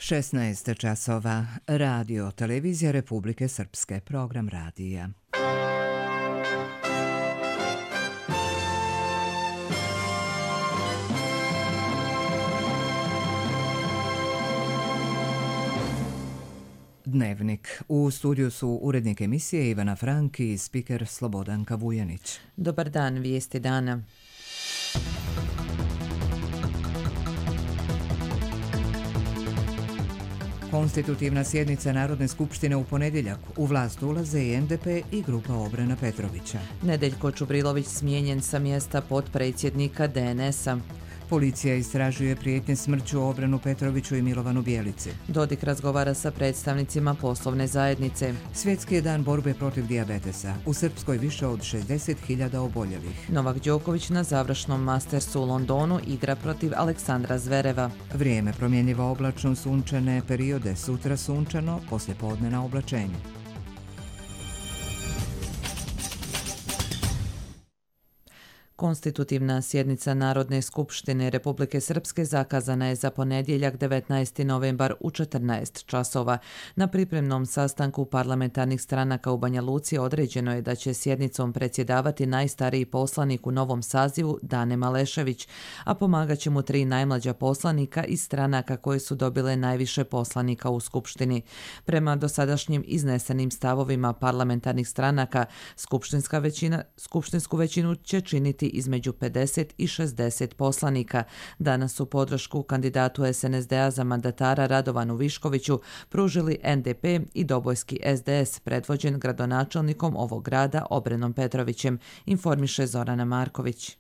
16 časova. Radio, televizija Republike Srpske, program radija. Dnevnik. U studiju su urednik emisije Ivana Franki i spiker Slobodanka Vujanić. Dobar dan, vijesti dana. Konstitutivna sjednica Narodne skupštine u ponedjeljak. U vlast ulaze i NDP i grupa obrana Petrovića. Nedeljko Čubrilović smijenjen sa mjesta potpredsjednika DNS-a. Policija istražuje prijetnje smrću obranu Petroviću i Milovanu Bjelici. Dodik razgovara sa predstavnicima poslovne zajednice. Svjetski je dan borbe protiv dijabetesa. U Srpskoj više od 60.000 oboljelih. Novak Đoković na završnom Mastersu u Londonu igra protiv Aleksandra Zvereva. Vrijeme promjenjivo oblačno, sunčane periode, sutra sunčano, poslijepodne na oblačenje. Konstitutivna sjednica Narodne skupštine Republike Srpske zakazana je za ponedjeljak 19. novembar u 14 časova. Na pripremnom sastanku parlamentarnih stranaka u Banja Luci određeno je da će sjednicom predsjedavati najstariji poslanik u novom sazivu Dane Malešević, a pomagat će mu 3 najmlađa poslanika iz stranaka koje su dobile najviše poslanika u Skupštini. Prema dosadašnjim iznesenim stavovima parlamentarnih stranaka, skupštinsku većinu će činiti između 50 i 60 poslanika. Danas su podršku kandidatu SNSD-a za mandatara Radovanu Viškoviću pružili NDP i Dobojski SDS, predvođen gradonačelnikom ovog grada Obrenom Petrovićem, informiše Zorana Marković.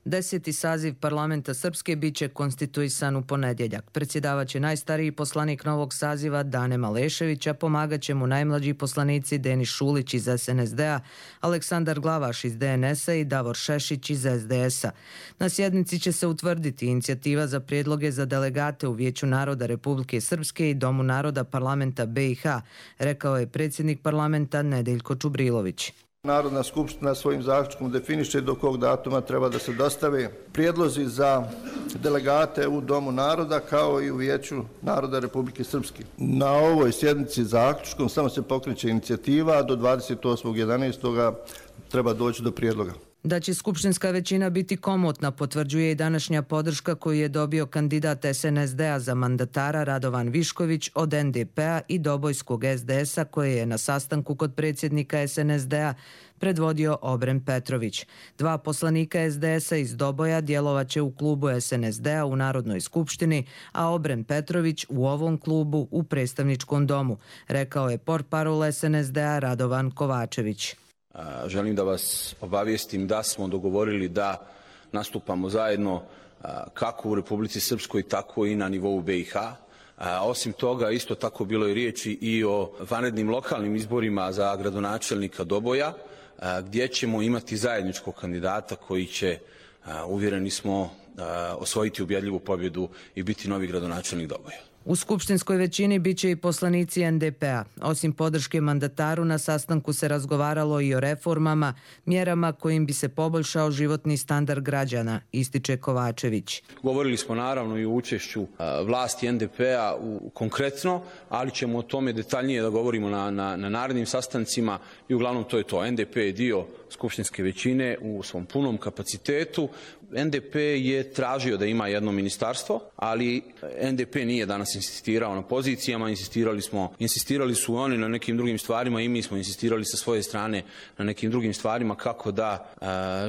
10. saziv parlamenta Srpske bit će konstituisan u ponedjeljak. Predsjedavaće najstariji poslanik novog saziva Dane Malešević, a pomagat će mu najmlađi poslanici Denis Šulić iz SNSD-a, Aleksandar Glavaš iz DNS-a i Davor Šešić iz SDS-a. Na sjednici će se utvrditi inicijativa za prijedloge za delegate u Vijeću naroda Republike Srpske i Domu naroda parlamenta BiH, rekao je predsjednik parlamenta Nedeljko Čubrilović. Narodna skupština svojim zaključkom definiše do kog datuma treba da se dostave prijedlozi za delegate u Domu naroda kao i u Vijeću naroda Republike Srpske. Na ovoj sjednici zaključkom samo se pokreće inicijativa, a do 28.11. treba doći do prijedloga. Da će skupštinska većina biti komotna potvrđuje i današnja podrška koju je dobio kandidat SNSD-a za mandatara Radovan Višković od NDP-a i Dobojskog SDS-a koje je na sastanku kod predsjednika SNSD-a predvodio Obren Petrović. 2 poslanika SDS-a iz Doboja djelovaće u klubu SNSD-a u Narodnoj skupštini, a Obren Petrović u ovom klubu u predstavničkom domu, rekao je portparol SNSD-a Radovan Kovačević. Želim da vas obavijestim da smo dogovorili da nastupamo zajedno kako u Republici Srpskoj, tako i na nivou BiH. Osim toga, isto tako bilo je riječi i o vanrednim lokalnim izborima za gradonačelnika Doboja, gdje ćemo imati zajedničkog kandidata koji će, uvjereni smo, osvojiti ubjedljivu pobjedu i biti novi gradonačelnik Doboja. U skupštinskoj većini bit će i poslanici NDP-a. Osim podrške mandataru, na sastanku se razgovaralo i o reformama, mjerama kojim bi se poboljšao životni standard građana, ističe Kovačević. Govorili smo naravno i o učešću vlasti NDP-a konkretno, ali ćemo o tome detaljnije da govorimo na narednim sastancima i uglavnom to je to. NDP je dio skupštinske većine u svom punom kapacitetu. NDP je tražio da ima jedno ministarstvo, ali NDP nije danas insistirao na pozicijama, insistirali su oni na nekim drugim stvarima i mi smo insistirali sa svoje strane na nekim drugim stvarima kako da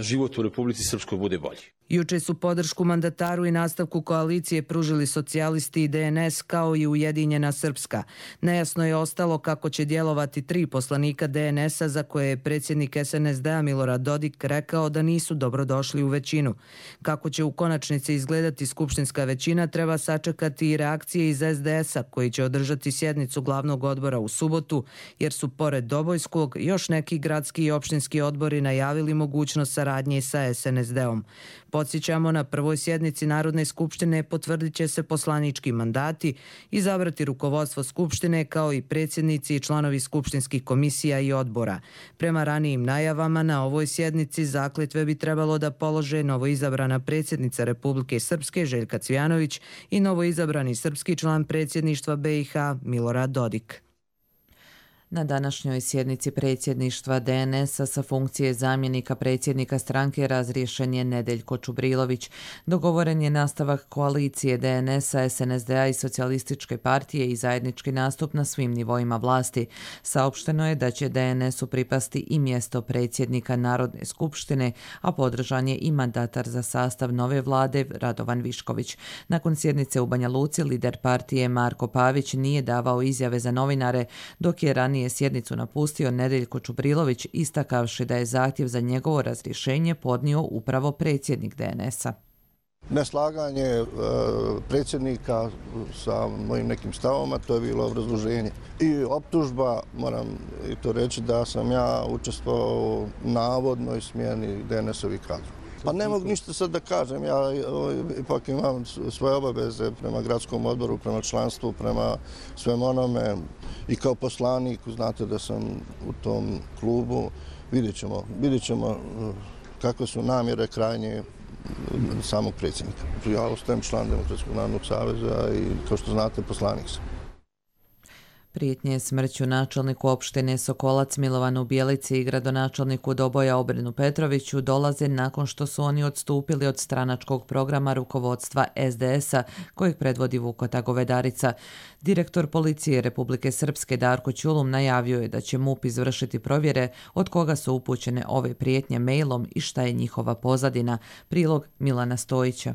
život u Republici Srpskoj bude bolji. Juče su podršku mandataru i nastavku koalicije pružili socijalisti i DNS kao i Ujedinjena Srpska. Nejasno je ostalo kako će djelovati 3 poslanika DNS-a za koje je predsjednik SNSD-a Milorad Dodik rekao da nisu dobrodošli u većinu. Kako će u konačnici izgledati skupštinska većina treba sačekati i reakcije iz SDS-a koji će održati sjednicu glavnog odbora u subotu, jer su pored Dobojskog još neki gradski i opštinski odbori najavili mogućnost saradnje sa SNSD-om. Podsjećamo, na prvoj sjednici Narodne skupštine potvrdit će se poslanički mandati, izabrati rukovodstvo skupštine kao i predsjednici i članovi skupštinskih komisija i odbora. Prema ranijim najavama, na ovoj sjednici zakletve bi trebalo da polože novoizabrana predsjednica Republike Srpske Željka Cvijanović i novoizabrani srpski član predsjedništva BiH Milorad Dodik. Na današnjoj sjednici predsjedništva DNS-a sa funkcije zamjenika predsjednika stranke razriješen je Nedeljko Čubrilović. Dogovoren je nastavak koalicije DNS-a, SNSD-a i Socijalističke partije i zajednički nastup na svim nivoima vlasti. Saopšteno je da će DNS-u pripasti i mjesto predsjednika Narodne skupštine, a podržan je i mandatar za sastav nove vlade Radovan Višković. Nakon sjednice u Banja Luci, lider partije Marko Pavić nije davao izjave za novinare, dok je ranije sjednicu napustio Nedeljko Čubrilović, istakavši da je zahtjev za njegovo razrješenje podnio upravo predsjednik DNS-a. Neslaganje predsjednika sa mojim nekim stavama, to je bilo obrazloženje. I optužba, moram i to reći, da sam ja učestvovao u navodnoj smjeni DNS-ovih kadrova. Pa ne mogu ništa sad da kažem, ja ipak imam svoje obaveze prema gradskom odboru, prema članstvu, prema svem onome i kao poslanik, znate da sam u tom klubu, vidjet ćemo kakve su namjere krajnje samog predsjednika. Ja ostajem član Demokratskog narodnog saveza i kao što znate poslanik sam. Prijetnje smrću načelniku opštine Sokolac Milovanu Bjelici i gradonačelniku Doboja Obrenu Petroviću dolaze nakon što su oni odstupili od stranačkog programa rukovodstva SDS-a kojeg predvodi Vukota Govedarica. Direktor policije Republike Srpske Darko Ćulum najavio je da će MUP izvršiti provjere od koga su upućene ove prijetnje mailom i šta je njihova pozadina. Prilog Milana Stojića.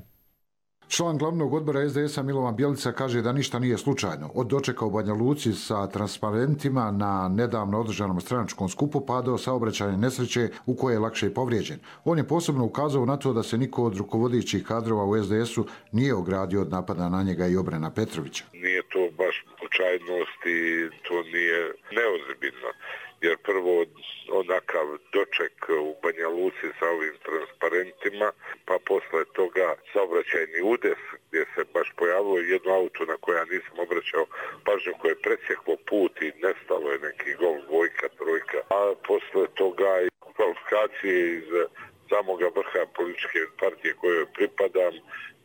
Član glavnog odbora SDS-a Milovan Bjelica kaže da ništa nije slučajno. Od dočeka u Banja Luci sa transparentima na nedavno održanom stranačkom skupu pa do saobraćajne nesreće u koje je lakše povrijeđen. On je posebno ukazao na to da se niko od rukovodećih kadrova u SDS-u nije ogradio od napada na njega i Obrena Petrovića. Nije to baš slučajnost i to nije neozbiljno. Jer prvo onakav doček u Banja Luci sa ovim transparentima, pa posle toga saobraćajni udes gdje se baš pojavilo jedno auto na koje ja nisam obraćao pažnju, koje je presjeklo put i nestalo je neki gol, dvojka, trojka. A posle toga i kvalifikacije iz samoga vrha političke partije kojoj pripadam,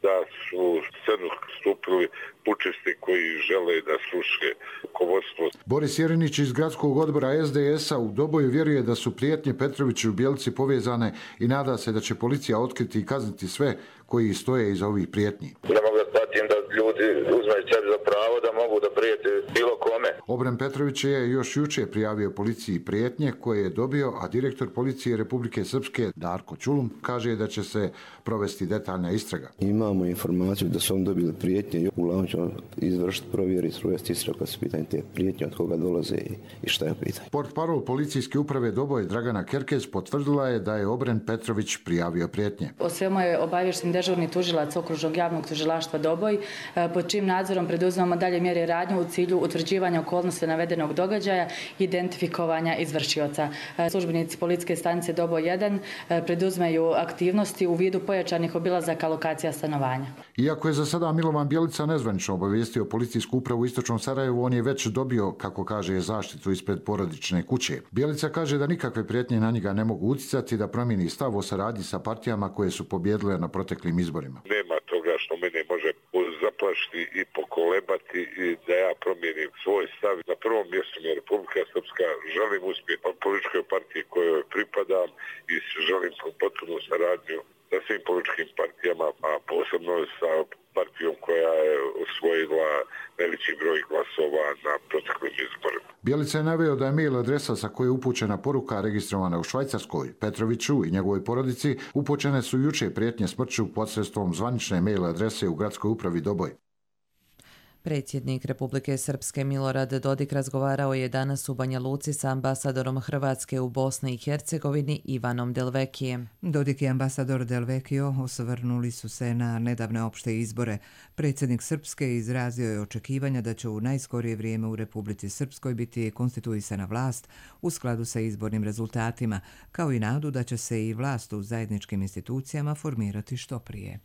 da su scenu stupili pučisti koji žele da sruše rukovodstvo. Boris Jerinić iz gradskog odbora SDS-a u Doboju vjeruje da su prijetnje Petroviću i Bjelici povezane i nada se da će policija otkriti i kazniti sve koji stoje iza ovih prijetnji. Ne mogu da shvatim da ljudi uzmeju sebi za pravo da mogu da prijete bilo kome. Obren Petrović je još juče prijavio policiji prijetnje koje je dobio, a direktor policije Republike Srpske Darko Ćulum kaže da će se provesti detaljna istraga. Imamo informaciju da su oni dobili prijetnje i uglavnom ćemo izvršiti provjeri i sprovesti istragu kad su pitanje te prijetnje, od koga dolaze i šta je pitanje. Portparol policijske uprave Doboj Dragana Kerkez potvrdila je da je Obren Petrović prijavio prijetnje. O svemu je obaviješten dežurni tužilac Okružnog javnog tužilaštva Doboj, pod čijim nadzorom preduzimamo dalje mjere radnje u cilju utvrđivanja okolnosti navedenog događaja i identifikovanja izvršioca. Službenici policijske stanice Doboj 1 preduzimaju aktivnosti u vidu pojačanih obilazaka lokacija stanovanja. Iako je za sada Milovan Bjelica nezvanično obavijestio policijsku upravu u Istočnom Sarajevu, on je već dobio, kako kaže, zaštitu ispred porodične kuće. Bjelica kaže da nikakve prijetnje na njega ne mogu utjecati da promijeni stav o saradnji sa partijama koje su pobjedile na proteklim izborima. Nema toga što mene može zaplašiti i pokolebati i da ja promijenim svoj stav. Na prvom mjestu mi je Republika Srpska, želim uspjeti u političkoj partiji kojoj pripadam i želim potpunu saradnju sa svim političkim partijama, a posebno sa partijom koja je osvojila najveći broj glasova na proteklim izborima. Bjelica je naveo da je mail adresa sa koje je upućena poruka registrovana u Švajcarskoj. Petroviću i njegovoj porodici upućene su juče prijetnje smrću posredstvom zvanične mail adrese u gradskoj upravi Doboj. Predsjednik Republike Srpske Milorad Dodik razgovarao je danas u Banja Luci sa ambasadorom Hrvatske u Bosni i Hercegovini Ivanom Delvekijem. Dodik i ambasador Delvekio osvrnuli su se na nedavne opšte izbore. Predsjednik Srpske izrazio je očekivanja da će u najskorije vrijeme u Republici Srpskoj biti konstituisana vlast u skladu sa izbornim rezultatima, kao i nadu da će se i vlast u zajedničkim institucijama formirati što prije.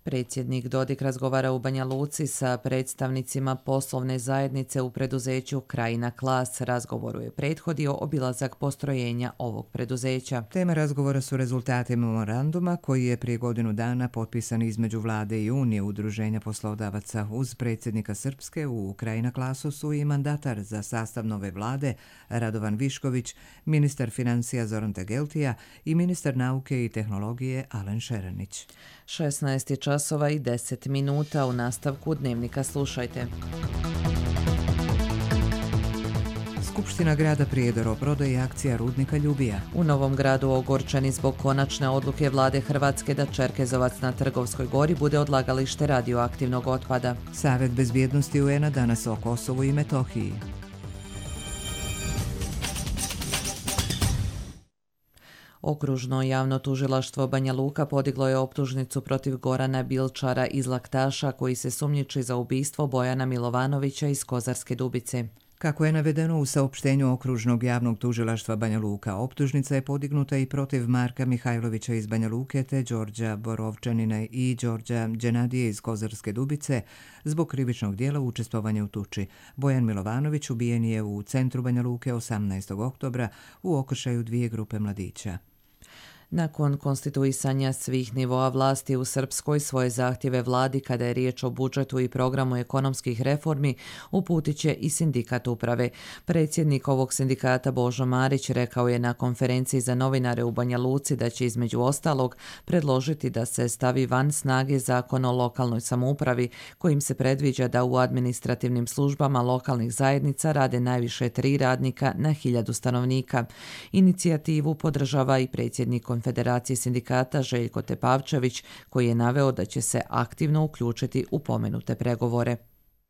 Predsjednik Dodik razgovara u Banja Luci sa predstavnicima poslovne zajednice u preduzeću Krajina Klas. Razgovoru je prethodio obilazak postrojenja ovog preduzeća. Tema razgovora su rezultati memoranduma koji je prije godinu dana potpisan između Vlade i Unije udruženja poslodavaca. Uz predsjednika Srpske u Krajina Klasu su i mandatar za sastav nove vlade Radovan Višković, ministar financija Zoran Tegeltija i ministar nauke i tehnologije Alen Šeranić. 16 časova i 10 minuta. U nastavku Dnevnika slušajte. Skupština grada Prijedor o prodaji akcija rudnika Ljubija. U Novom Gradu ogorčeni zbog konačne odluke vlade Hrvatske da Čerkezovac na Trgovskoj gori bude odlagalište radioaktivnog otpada. Savet bezbjednosti UN-a danas o Kosovu i Metohiji. Okružno javno tužilaštvo Banja Luka podiglo je optužnicu protiv Gorana Bilčara iz Laktaša koji se sumnjiči za ubistvo Bojana Milovanovića iz Kozarske Dubice. Kako je navedeno u saopštenju Okružnog javnog tužilaštva Banja Luka, optužnica je podignuta i protiv Marka Mihajlovića iz Banja Luke te Đorđa Borovčanina i Đorđa Đenadije iz Kozarske Dubice zbog krivičnog dijela učestvovanja u tuči. Bojan Milovanović ubijen je u centru Banja Luke 18. oktobra u okršaju 2 grupe mladića. Nakon konstituisanja svih nivoa vlasti u Srpskoj svoje zahtjeve vladi kada je riječ o budžetu i programu ekonomskih reformi uputit će i sindikat uprave. Predsjednik ovog sindikata Božo Marić rekao je na konferenciji za novinare u Banja Luci da će između ostalog predložiti da se stavi van snage Zakon o lokalnoj samoupravi kojim se predviđa da u administrativnim službama lokalnih zajednica rade najviše 3 radnika na 1000 stanovnika. Inicijativu podržava i predsjednik Konfederacije sindikata Željko Tepavčević koji je naveo da će se aktivno uključiti u pomenute pregovore.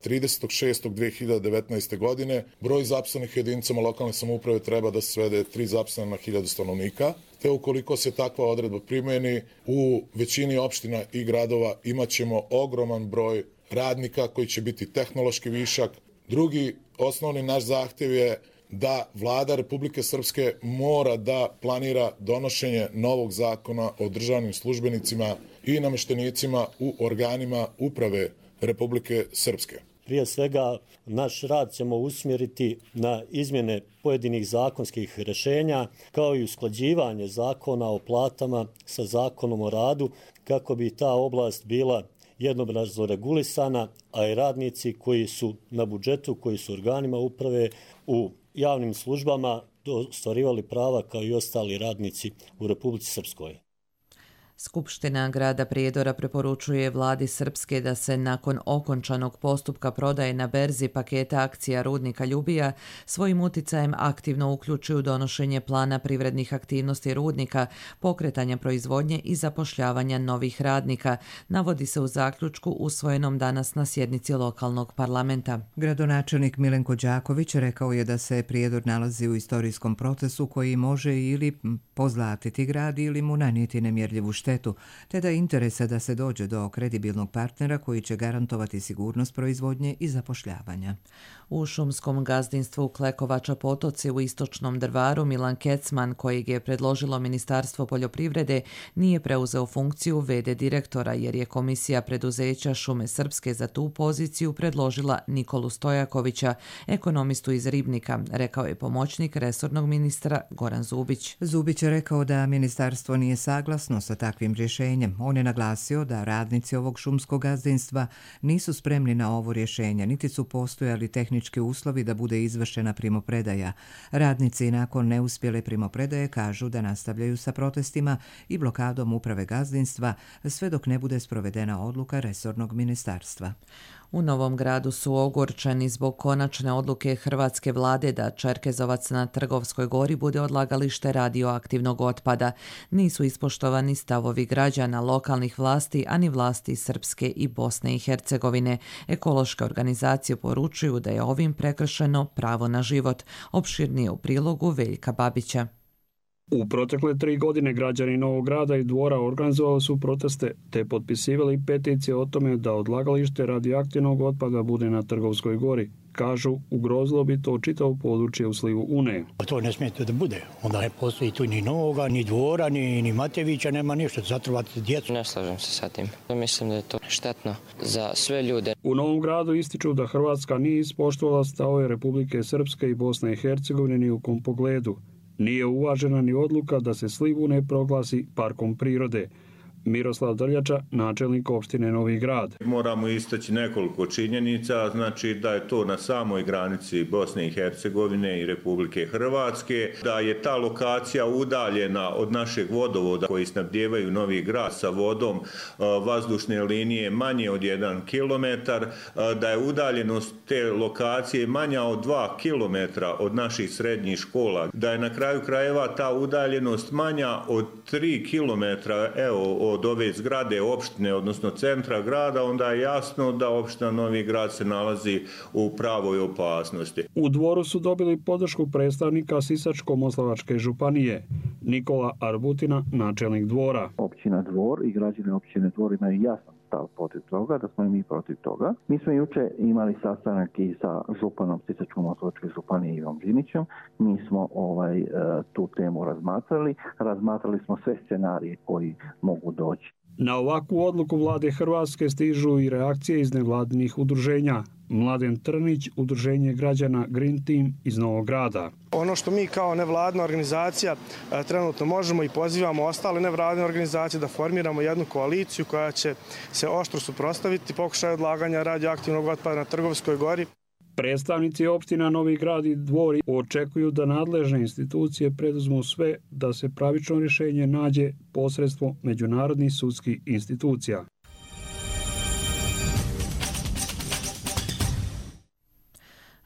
30.6.2019. godine broj zaposlenih jedinicama lokalne samouprave treba da se svede 3 zaposlena na 1000 stanovnika, te ukoliko se takva odredba primjeni u većini opština i gradova imaćemo ogroman broj radnika koji će biti tehnološki višak. Drugi osnovni naš zahtjev je da vlada Republike Srpske mora da planira donošenje novog zakona o državnim službenicima i namještenicima u organima uprave Republike Srpske. Prije svega, naš rad ćemo usmjeriti na izmjene pojedinih zakonskih rješenja, kao i usklađivanje zakona o platama sa zakonom o radu, kako bi ta oblast bila jednoobrazno regulisana, a i radnici koji su na budžetu, koji su organima uprave u javnim službama ostvarivali prava kao i ostali radnici u Republici Srpskoj. Skupština grada Prijedora preporučuje vladi Srpske da se nakon okončanog postupka prodaje na berzi paketa akcija rudnika Ljubija svojim uticajem aktivno uključi u donošenje plana privrednih aktivnosti rudnika, pokretanja proizvodnje i zapošljavanja novih radnika, navodi se u zaključku usvojenom danas na sjednici lokalnog parlamenta. Gradonačelnik Milenko Đaković rekao je da se Prijedor nalazi u istorijskom procesu koji može ili pozlatiti grad ili mu nanijeti nemjerljivu štetu, te da interesa da se dođe do kredibilnog partnera koji će garantovati sigurnost proizvodnje i zapošljavanja. U šumskom gazdinstvu Klekovača Potoci u Istočnom Drvaru Milan Kecman, kojeg je predložilo Ministarstvo poljoprivrede, nije preuzeo funkciju v.d. direktora jer je komisija preduzeća Šume Srpske za tu poziciju predložila Nikolu Stojakovića, ekonomistu iz Ribnika, rekao je pomoćnik resornog ministra Goran Zubić. Zubić je rekao da ministarstvo nije saglasno sa takvim rješenjem. On je naglasio da radnici ovog šumskog gazdinstva nisu spremni na ovo rješenje, niti su postojali tehnički uslovi da bude izvršena primopredaja. Radnici nakon neuspjele primopredaje kažu da nastavljaju sa protestima i blokadom uprave gazdinstva sve dok ne bude sprovedena odluka resornog ministarstva. U Novom Gradu su ogorčeni zbog konačne odluke hrvatske vlade da Čerkezovac na Trgovskoj gori bude odlagalište radioaktivnog otpada. Nisu ispoštovani stavovi građana, lokalnih vlasti, ani vlasti Srpske i Bosne i Hercegovine. Ekološke organizacije poručuju da je ovim prekršeno pravo na život. Opširnije u prilogu Veljka Babića. U protekle 3 godine građani Novog Grada i Dvora organizovali su proteste te potpisivali peticije o tome da odlagalište radioaktivnog otpada bude na Trgovskoj gori, kažu ugrozilo bi to čitavo područje u slivu Une. To ne smije da bude. Onda ne postoji tu ni Novoga, ni Dvora, ni Matevića, nema ništa. Zatrovati djecu. Ne slažem se sa tim. Mislim da je to štetno za sve ljude. U Novom Gradu ističu da Hrvatska nije ispoštovala stavove Republike Srpske i Bosne i Hercegovine ni u kom pogledu. Nije uvažena ni odluka da se sliv Une proglasi parkom prirode. Miroslav Drljača, načelnik opštine Novi Grad. Moramo istaći nekoliko činjenica, znači da je to na samoj granici Bosne i Hercegovine i Republike Hrvatske, da je ta lokacija udaljena od našeg vodovoda koji snabdijevaju Novi Grad sa vodom vazdušne linije manje od 1 kilometar, da je udaljenost te lokacije manja od 2 kilometra od naših srednjih škola, da je na kraju krajeva ta udaljenost manja od 3 kilometra, od ove zgrade opštine, odnosno centra grada, onda je jasno da opština Novi Grad se nalazi u pravoj opasnosti. U Dvoru su dobili podršku predstavnika Sisačko-moslavačke županije, Nikola Arbutina, načelnik Dvora. Općina Dvor i građani općine Dvor imaju jasan stav protiv toga, da smo i mi protiv toga. Mi smo juče imali sastanak i sa županom Sisačko-moslavačke županije Ivom Žinićem. Mi smo tu temu razmatrali. Razmatrali smo sve scenarije koji mogu doći. Na ovakvu odluku vlade Hrvatske stižu i reakcije iz nevladinih udruženja. Mladen Trnić, udruženje građana Green Team iz Novog Grada. Ono što mi kao nevladina organizacija trenutno možemo i pozivamo ostale nevladine organizacije da formiramo jednu koaliciju koja će se oštro suprotstaviti pokušaju odlaganja radioaktivnog otpada na Trgovskoj gori. Predstavnici opština Novi Grad i Dvor očekuju da nadležne institucije preduzmu sve da se pravično rješenje nađe posredstvom međunarodnih sudskih institucija.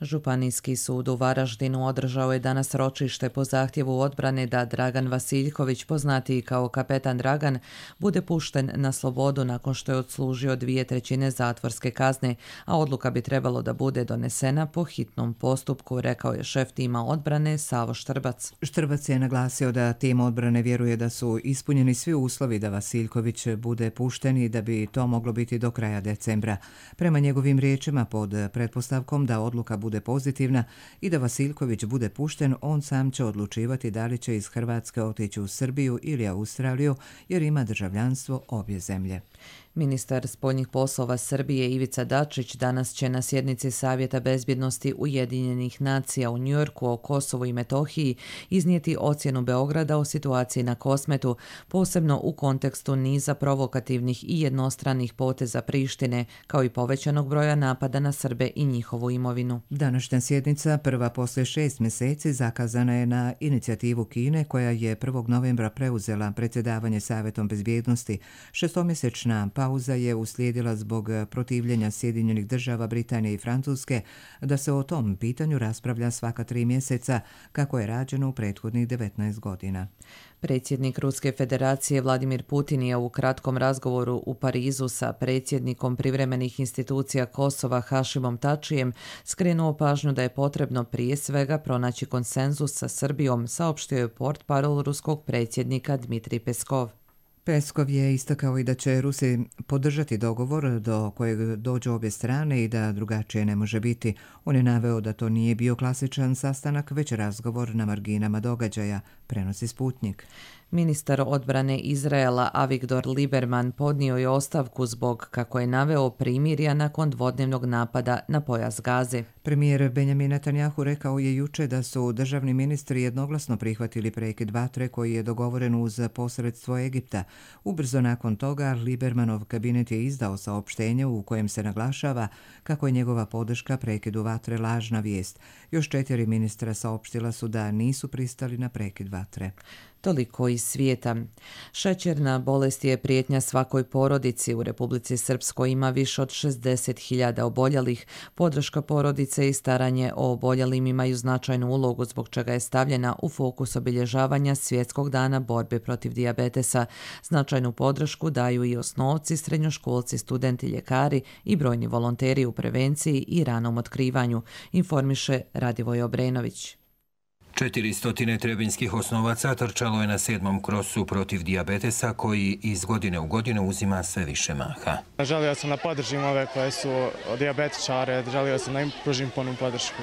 Županijski sud u Varaždinu održao je danas ročište po zahtjevu odbrane da Dragan Vasiljković, poznatiji kao kapetan Dragan, bude pušten na slobodu nakon što je odslužio 2/3 zatvorske kazne, a odluka bi trebalo da bude donesena po hitnom postupku, rekao je šef tima odbrane Savo Štrbac. Štrbac je naglasio da tim odbrane vjeruje da su ispunjeni svi uslovi da Vasiljković bude pušten i da bi to moglo biti do kraja decembra. Prema njegovim riječima, pod pretpostavkom da odluka bude pozitivna i da Vasiljković bude pušten, on sam će odlučivati da li će iz Hrvatske otići u Srbiju ili Australiju jer ima državljanstvo obje zemlje. Ministar spoljnih poslova Srbije Ivica Dačić danas će na sjednici Savjeta bezbjednosti Ujedinjenih nacija u Njujorku o Kosovu i Metohiji iznijeti ocjenu Beograda o situaciji na Kosmetu, posebno u kontekstu niza provokativnih i jednostranih poteza Prištine, kao i povećanog broja napada na Srbe i njihovu imovinu. Današnja sjednica, prva poslije 6 mjeseci, zakazana je na inicijativu Kine, koja je 1. novembra preuzela predsjedavanje Savjetom bezbjednosti. Šestomjesečna pauza je uslijedila zbog protivljenja Sjedinjenih država, Britanije i Francuske da se o tom pitanju raspravlja svaka 3 mjeseca, kako je rađeno u prethodnih 19 godina. Predsjednik Ruske federacije Vladimir Putin je u kratkom razgovoru u Parizu sa predsjednikom privremenih institucija Kosova Hašimom Tačijem skrenuo pažnju da je potrebno prije svega pronaći konsenzus sa Srbijom, saopštio je portparol ruskog predsjednika Dmitrij Peskov. Peskov je istakao i da će Rusi podržati dogovor do kojeg dođu obje strane i da drugačije ne može biti. On je naveo da to nije bio klasičan sastanak, već razgovor na marginama događaja, prenosi Sputnik. Ministar odbrane Izraela Avigdor Lieberman podnio je ostavku zbog, kako je naveo, primirja nakon dvodnevnog napada na pojas Gaze. Premijer Benjamin Netanjahu rekao je juče da su državni ministri jednoglasno prihvatili prekid vatre koji je dogovoren uz posredstvo Egipta. Ubrzo nakon toga Liebermanov kabinet je izdao saopštenje u kojem se naglašava kako je njegova podrška prekidu vatre lažna vijest. Još 4 ministra saopštila su da nisu pristali na prekid vatre. Toliko iz svijeta. Šećerna bolest je prijetnja svakoj porodici. U Republici Srpskoj ima više od 60.000 oboljelih. Podrška porodice i staranje o oboljelim imaju značajnu ulogu, zbog čega je stavljena u fokus obilježavanja Svjetskog dana borbe protiv dijabetesa. Značajnu podršku daju i osnovci, srednjoškolci, studenti, ljekari i brojni volonteri u prevenciji i ranom otkrivanju, informiše Radivoj Obrenović. 400 trebinjskih osnovaca trčalo je na 7. krosu protiv dijabetesa koji iz godine u godinu uzima sve više maha. Želio sam da podržim ove koje su dijabetičare, želio sam da im pružim punu podršku.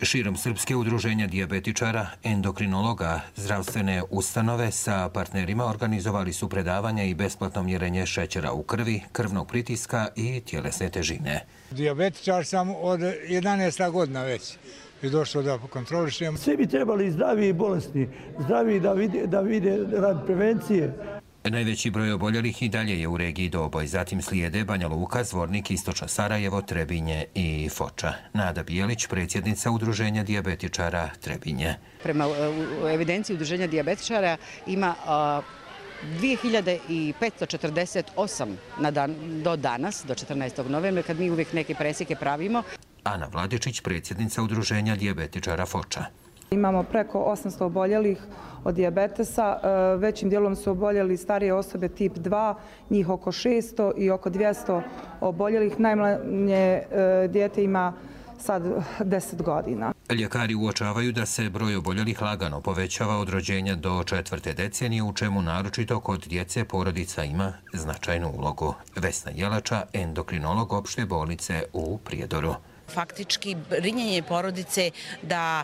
Širom Srpske udruženja dijabetičara, endokrinologa, zdravstvene ustanove sa partnerima organizovali su predavanja i besplatno mjerenje šećera u krvi, krvnog pritiska i tjelesne težine. Dijabetičar sam od 11. godina već i došlo da kontrolišem. Svi bi trebali zdravi i bolesni, zdravi da vide rad prevencije. Najveći broj oboljelih i dalje je u regiji Doboj, zatim slijede Banja Luka, Zvornik, Istočno Sarajevo, Trebinje i Foča. Nada Bijelić, predsjednica Udruženja dijabetičara Trebinje. Prema evidenciji Udruženja dijabetičara ima 2548 do danas, do 14. novembra, kad mi uvijek neke presjeke pravimo. Ana Vladičić, predsjednica Udruženja dijabetičara Foča. Imamo preko 800 oboljelih od dijabetesa, većim dijelom su oboljeli starije osobe tip 2, njih oko 600 i oko 200 oboljelih. Najmanje dijete ima sad 10 godina. Ljekari uočavaju da se broj oboljelih lagano povećava od rođenja do 4. decenije, u čemu naročito kod djece porodica ima značajnu ulogu. Vesna Jelača, endokrinolog opšte bolnice u Prijedoru. Faktički brinjenje porodice da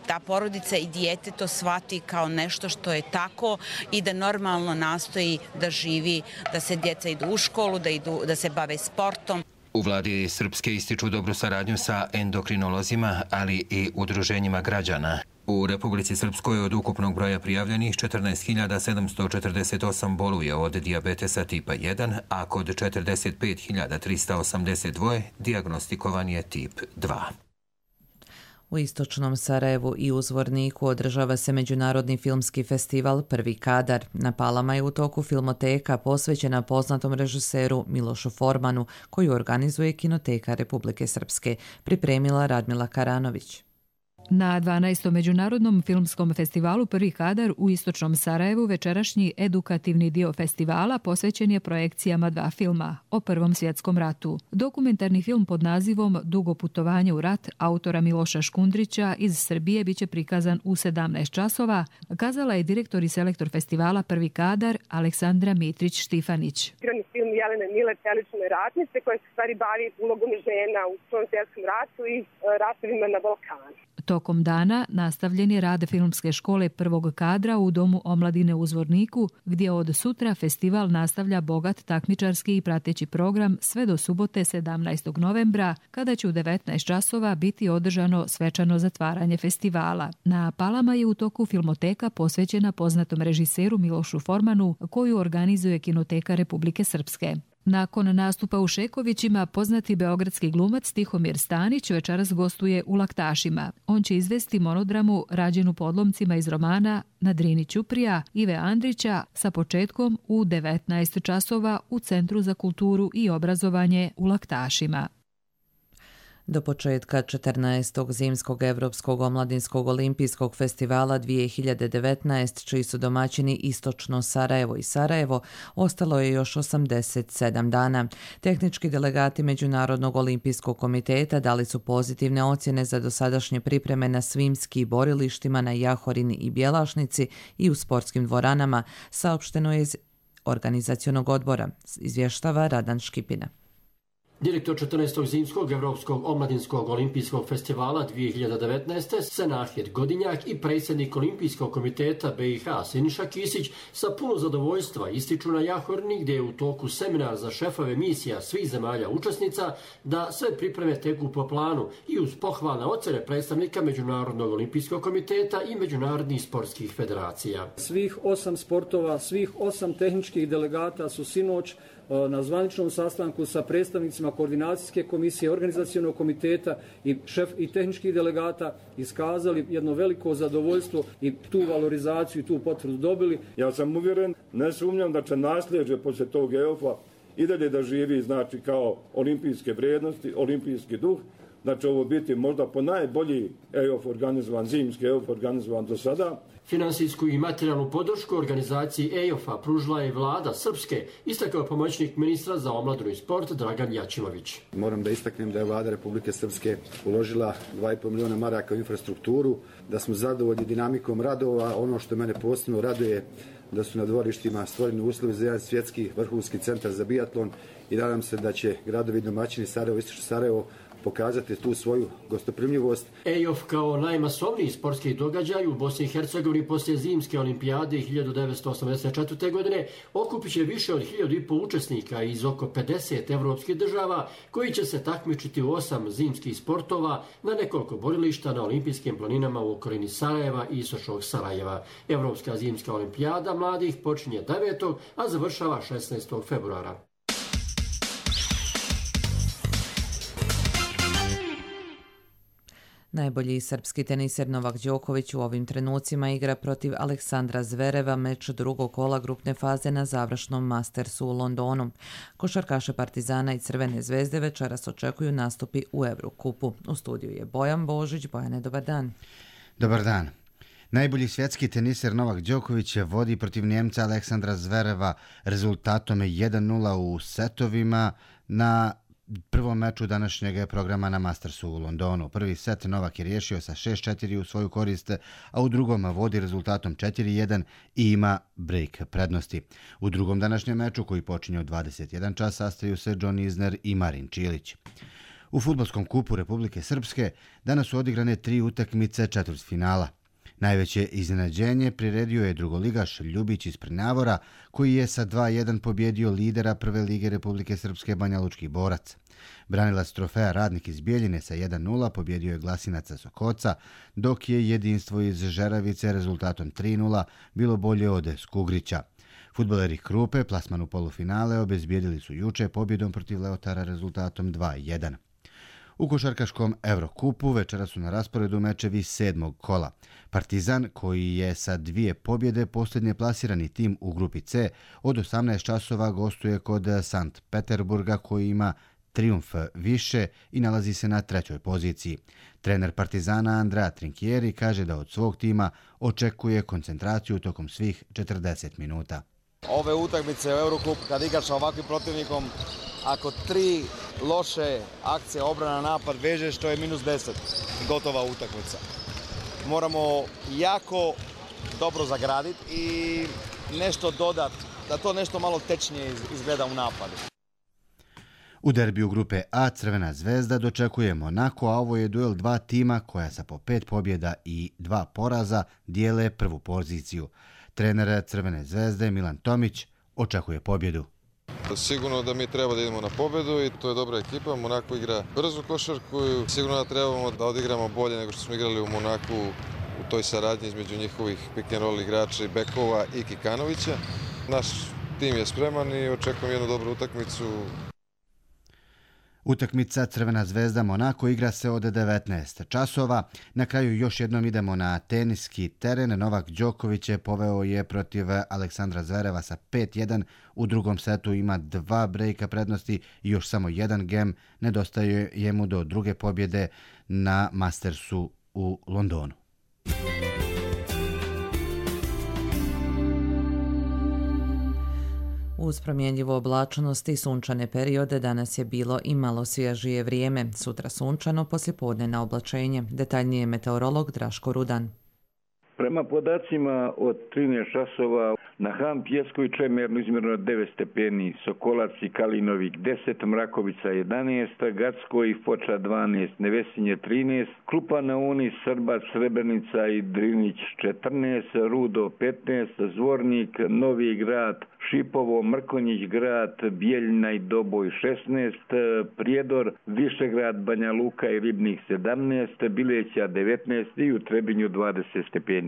ta porodica i dijete to shvati kao nešto što je tako i da normalno nastoji da živi, da se djeca idu u školu, da se bave sportom. U vladi Srpske ističu dobru saradnju sa endokrinolozima, ali i udruženjima građana. U Republici Srpskoj od ukupnog broja prijavljenih 14.748 boluje od dijabetesa tipa 1, a kod 45.382 dijagnostikovan je tip 2. U Istočnom Sarajevu i u Zvorniku održava se Međunarodni filmski festival Prvi kadar. Na Palama je u toku filmoteka posvećena poznatom režiseru Milošu Formanu, koju organizuje Kinoteka Republike Srpske, pripremila Radmila Karanović. Na 12. Međunarodnom filmskom festivalu Prvi kadar u Istočnom Sarajevu večerašnji edukativni dio festivala posvećen je projekcijama 2 filma o Prvom svjetskom ratu. Dokumentarni film pod nazivom Dugo putovanje u rat autora Miloša Škundrića iz Srbije biće prikazan u 17 časova, kazala je direktor i selektor festivala Prvi kadar Aleksandra Mitrić-Štifanić. Film Jelene Mile, Čelične ratnice, koja se stvari bavi ulogom žena u Prvom svjetskom ratu i ratovima na Balkanu. Tokom dana nastavljen je rad filmske škole Prvog kadra u Domu omladine u Zvorniku, gdje od sutra festival nastavlja bogat takmičarski i prateći program sve do subote 17. novembra, kada će u 19 časova biti održano svečano zatvaranje festivala. Na Palama je u toku filmoteka posvećena poznatom režiseru Milošu Formanu, koju organizuje Kinoteka Republike Srpske. Nakon nastupa u Šekovićima, poznati beogradski glumac Tihomir Stanić večeras gostuje u Laktašima. On će izvesti monodramu rađenu po odlomcima iz romana Na Drini Ćuprija Ive Andrića sa početkom u 19 časova u Centru za kulturu i obrazovanje u Laktašima. Do početka 14. zimskog Evropskog omladinskog olimpijskog festivala 2019, čiji su domaćini Istočno Sarajevo i Sarajevo, ostalo je još 87 dana. Tehnički delegati Međunarodnog olimpijskog komiteta dali su pozitivne ocjene za dosadašnje pripreme na svim ski borilištima na Jahorini i Bjelašnici i u sportskim dvoranama, saopšteno je iz organizacionog odbora, izvještava Radan Škipina. Direktor 14. zimskog Evropskog omladinskog olimpijskog festivala 2019. Senahir Godinjak i predsjednik Olimpijskog komiteta BiH Siniša Kisić sa puno zadovoljstva ističu na Jahorni, gdje je u toku seminar za šefove misija svih zemalja učesnica, da sve pripreme teku po planu i uz pohvalne ocjene predstavnika Međunarodnog olimpijskog komiteta i međunarodnih sportskih federacija. Svih 8 sportova, svih 8 tehničkih delegata su sinoć na zvaničnom sastanku sa predstavnicima koordinacijske komisije, organizacionog komiteta i tehničkih delegata iskazali jedno veliko zadovoljstvo i tu valorizaciju i tu potvrdu dobili. Ja sam uvjeren, ne sumnjam da će nasljeđe poslije tog EOF-a i dalje da živi, znači kao olimpijske vrijednosti, olimpijski duh, da će ovo biti možda po najbolji EOF organizovan, zimski EOF organizovan do sada. Finansijsku i materijalnu podršku organizaciji EOF-a pružila je vlada Srpske, istakao pomoćnik ministra za omladinu i sport Dragan Jačimović. Moram da istaknem da je vlada Republike Srpske uložila 2,5 miliona maraka u infrastrukturu, da smo zadovoljni dinamikom radova. Ono što mene posebno raduje da su na dvorištima stvoreni uslovi za jedan svjetski vrhunski centar za biatlon i nadam se da će gradovi domaćini Sarajevo, Istočno Sarajevo pokazati tu svoju gostoprimljivost. EOF kao najmasovniji sportski događaj u Bosni i Hercegovini poslije zimske olimpijade 1984. godine okupit će više od 1.500 učesnika iz oko 50 evropskih država koji će se takmičiti u 8 zimskih sportova na nekoliko borilišta na olimpijskim planinama u okolini Sarajeva i istočnog Sarajeva. Evropska zimska olimpijada mladih počinje 9. a završava 16. februara. Najbolji srpski teniser Novak Đoković u ovim trenucima igra protiv Aleksandra Zvereva meč drugog kola grupne faze na završnom Mastersu u Londonu. Košarkaše Partizana i Crvene zvezde večeras očekuju nastupi u Evrokupu. U studiju je Bojan Božić. Bojane, dobar dan. Dobar dan. Najbolji svjetski teniser Novak Đoković vodi protiv Njemca Aleksandra Zvereva rezultatom 1:0 u setovima na prvom meču današnjeg programa na Mastersu u Londonu. Prvi set Novak je riješio sa 6-4 u svoju korist, a u drugom vodi rezultatom 4:1 i ima break prednosti. U drugom današnjem meču, koji počinje u 21 čas, sastaju se John Isner i Marin Čilić. U fudbalskom kupu Republike Srpske danas su odigrane 3 utakmice četvrtfinala. Najveće iznenađenje priredio je drugoligaš Ljubić iz Prnjavora, koji je sa 2:1 pobjedio lidera Prve lige Republike Srpske Banjalučki Borac. Branilac trofeja Radnik iz Bijeljine sa 1:0 pobjedio je Glasinaca Sokoca, dok je Jedinstvo iz Žeravice rezultatom 3:0 bilo bolje od Skugrića. Fudbaleri Krupe plasman u polufinale obezbijedili su juče pobjedom protiv Leotara rezultatom 2:1. U košarkaškom Evrokupu večera su na rasporedu mečevi 7. kola. Partizan, koji je sa 2 pobjede posljednje plasirani tim u grupi C, od 18 časova gostuje kod Sankt Peterburga, koji ima trijumf više i nalazi se na 3. poziciji. Trener Partizana Andrea Trinchieri kaže da od svog tima očekuje koncentraciju tokom svih 40 minuta. Ove utakmice u Eurocup, kad igraš sa ovakvim protivnikom, ako 3 loše akcije obrana napad vežeš, to je -10, gotova utakmica. Moramo jako dobro zagraditi i nešto dodati, da to nešto malo tečnije izgleda u napadu. U derbiju grupe A Crvena zvezda dočekuje Monako, a ovo je duel 2 tima koja sa po 5 pobjeda i 2 poraza dijele prvu poziciju. Trener Crvene zvezde Milan Tomić očekuje pobjedu. Sigurno da mi treba da idemo na pobjedu i to je dobra ekipa. Monako igra brzu košarku i sigurno da trebamo da odigramo bolje nego što smo igrali u Monaku u toj saradnji između njihovih pick and roll igrača i bekova i Kikanovića. Naš tim je spreman i očekujem jednu dobru utakmicu. Utakmica Crvena zvezda Monako igra se od 19 časova. Na kraju još jednom idemo na teniski teren. Novak Đoković poveo je protiv Aleksandra Zvereva sa 5:1. U drugom setu ima 2 brejka prednosti i još samo 1 gem. Nedostaje jemu do druge pobjede na Mastersu u Londonu. Uz promjenjivu oblačnost i sunčane periode danas je bilo i malo svježije vrijeme. Sutra sunčano, poslijepodne na oblačenje. Detaljnije meteorolog Draško Rudan. Prema podacima od 13 časova na Han Pjeskoj Čemernu izmjereno 9 stepeni, Sokolac i Kalinovik 10, Mrakovica 11, Gacko i Foča 12, Nevesinje 13, Krupa na Uni, Srbac, Srebrenica i Drinić 14, Rudo 15, Zvornik, Novi Grad, Šipovo, Mrkonjić Grad, Bijeljina i Doboj 16, Prijedor, Višegrad, Banja Luka i Ribnik 17, Bileća 19 i u Trebinju 20 stepeni.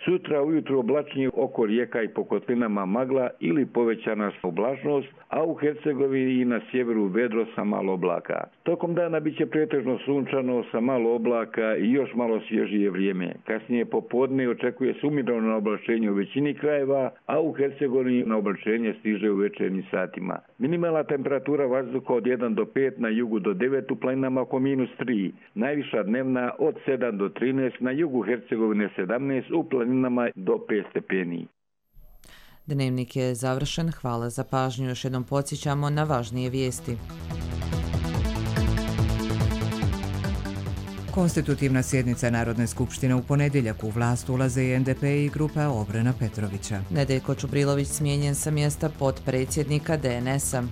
Sutra ujutro oblačnije, oko rijeka i po kotlinama magla ili povećana oblačnost, a u Hercegovini i na sjeveru vedro sa malo oblaka. Tokom dana biće pretežno sunčano sa malo oblaka i još malo svježije vrijeme. Kasnije popodne očekuje se umjereno oblačenje u većini krajeva, a u Hercegovini na oblačenje stiže u večernjim satima. Minimalna temperatura vazduha od 1 do 5, na jugu do 9, u planinama oko -3. Najviša dnevna od 7 do 13, na jugu Hercegovine 17, u planinama do 5 stepeni. Dnevnik je završen. Hvala za pažnju. Još jednom podsjećamo na važnije vijesti. Konstitutivna sjednica Narodne skupštine u ponedjeljak. U vlast ulaze i NDP i grupa Obrana Petrovića. Nedeljko Čubrilović smijenjen sa mjesta potpredsjednika DNS-a.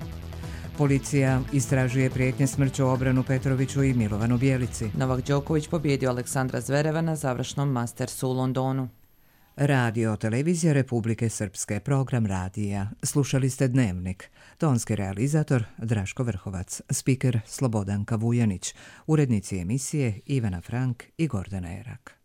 Policija istražuje prijetnje smrću Obranu Petroviću i Milovanu Bjelici. Novak Đoković pobjedio Aleksandra Zvereva na završnom Mastersu u Londonu. Radio Televizija Republike Srpske, program radija. Slušali ste Dnevnik. Tonski realizator Draško Vrhovac, spiker Slobodanka Vujanić, urednici emisije Ivana Frank i Gordana Erak.